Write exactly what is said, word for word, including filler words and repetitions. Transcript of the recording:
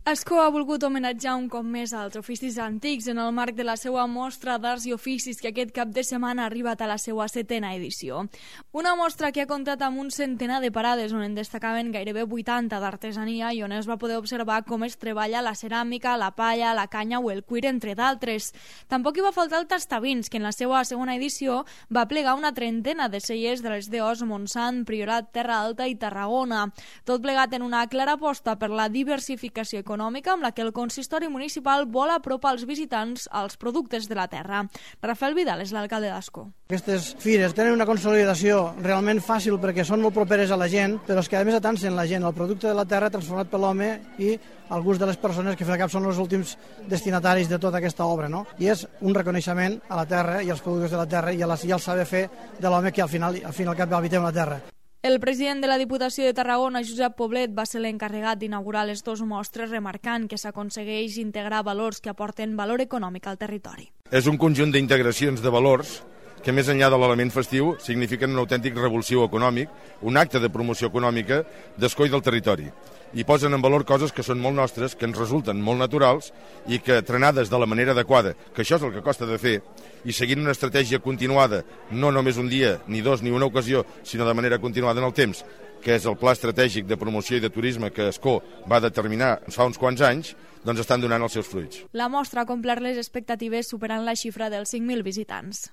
Ascó ha volgut homenatjar un cop més als oficis antics en el marc de la seva mostra d'arts i oficis que aquest cap de setmana ha arribat a la seva setena edició. Una mostra que ha comptat amb un centenar de parades on en destacaven gairebé vuitanta d'artesania i on es va poder observar com es treballa la ceràmica, la palla, la canya o el cuir, entre d'altres. Tampoc hi va faltar el Tastavins, que en la seva segona edició va plegar una trentena de cellers de les D Os Montsant, Priorat, Terra Alta i Tarragona. Tot plegat en una clara aposta per la diversificació econòmica econòmica amb la que el consistori municipal vol apropar als visitants als productes de la terra. Rafael Vidal és l'alcalde d'Ascó. Aquestes fires tenen una consolidació realment fàcil perquè són molt properes a la gent, però és que a més atancen la gent, el producte de la terra transformat per l'home i al gust de les persones que al cap són els últims destinataris de tota aquesta obra, no? I és un reconeixement a la terra i als productes de la terra i, la, i al saber fer de l'home que al final, al fin i al cap habitem la terra. El president de la Diputació de Tarragona, Josep Poblet, va ser l'encarregat d'inaugurar les dues mostres, remarcant que s'aconsegueix integrar valors que aporten valor econòmic al territori. És un conjunt d'integracions de valors que més enllà de l'element festiu signifiquen un autèntic revulsiu econòmic, un acte de promoció econòmica d'Ascó i del territori. I posen en valor coses que són molt nostres, que ens resulten molt naturals i que, trenades de la manera adequada, que això és el que costa de fer, i seguint una estratègia continuada, no només un dia, ni dos, ni una ocasió, sinó de manera continuada en el temps, que és el pla estratègic de promoció i de turisme que Ascó va determinar fa uns quants anys, doncs estan donant els seus fruits. La mostra ha complert les expectatives superant la xifra dels cinc mil visitants.